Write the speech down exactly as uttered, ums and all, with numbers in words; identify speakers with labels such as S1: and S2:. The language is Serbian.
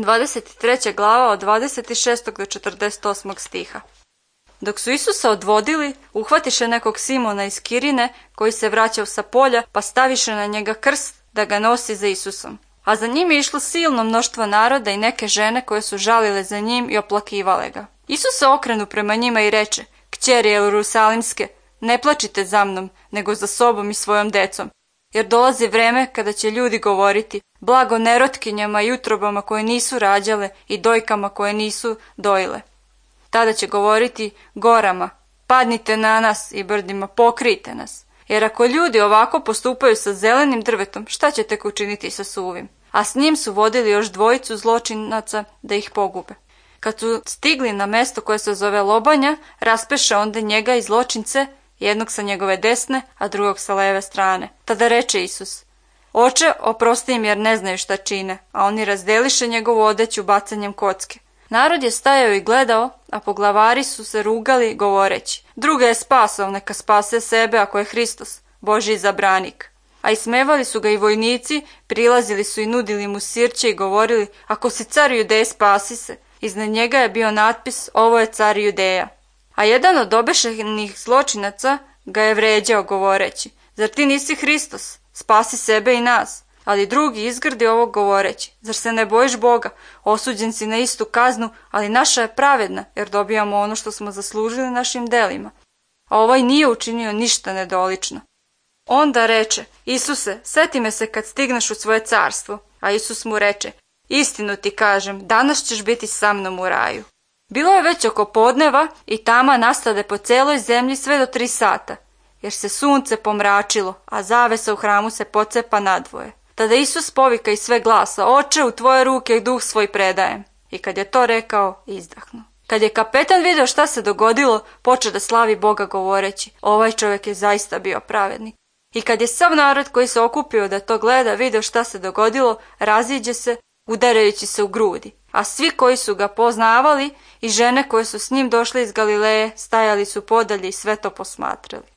S1: dvadeset treća glava od dvadeset šestog do četrdeset osmog stiha. Dok su Isusa odvodili, uhvatiše nekog Simona iz Kirine, koji se vraćao sa polja, pa staviše na njega krst da ga nosi za Isusom. A za njim je išlo silno mnoštvo naroda i neke žene koje su žalile za njim i oplakivale ga. Isus se okrenu prema njima i reče: Kćeri Jerusalimske, ne plačite za mnom, nego za sobom i svojom decom, jer dolazi vreme kada će ljudi govoriti: blago nerotkinjama i utrobama koje nisu rađale i dojkama koje nisu dojile. Tada će govoriti gorama: padnite na nas, i brdima: pokrijte nas. Jer ako ljudi ovako postupaju sa zelenim drvetom, šta će tek učiniti sa suvim? A s njim su vodili još dvojicu zločinaca da ih pogube. Kad su stigli na mesto koje se zove Lobanja, raspeše onda njega i zločince, jednog sa njegove desne, a drugog sa leve strane. Tada reče Isus: Oče, oprosti im jer ne znaju šta čine, a oni razdeliše njegovu odeću bacanjem kocke. Narod je stajao i gledao, a poglavari su se rugali govoreći: druga je spasao, neka spase sebe ako je Hristos, Božji izabranik. A ismevali su ga i vojnici, prilazili su i nudili mu sirće i govorili: ako si car Judeje, spasi se. Iznad njega je bio natpis: ovo je car Judeja. A jedan od obešenih zločinaca ga je vređao govoreći: zar ti nisi Hristos, spasi sebe i nas. Ali drugi izgrdi ovo govoreći: zar se ne bojiš Boga, osuđen si na istu kaznu, ali naša je pravedna, jer dobijamo ono što smo zaslužili našim delima. A ovaj nije učinio ništa nedolično. Onda reče: Isuse, seti me se kad stigneš u svoje carstvo. A Isus mu reče: istinu ti kažem, danas ćeš biti sa mnom u raju. Bilo je već oko podneva i tama nastade po celoj zemlji sve do tri sata, jer se sunce pomračilo, a zavesa u hramu se pocepa nadvoje. Tada Isus povika iz sve glasa: Oče, u tvoje ruke duh svoj predajem. I kad je to rekao, izdahnuo. Kad je kapetan video šta se dogodilo, počeo da slavi Boga govoreći: ovaj čovjek je zaista bio pravednik. I kad je sav narod koji se okupio da to gleda video šta se dogodilo, raziđe se, udarajući se u grudi. A svi koji su ga poznavali i žene koje su s njim došle iz Galileje stajali su podalje i sve to posmatrali.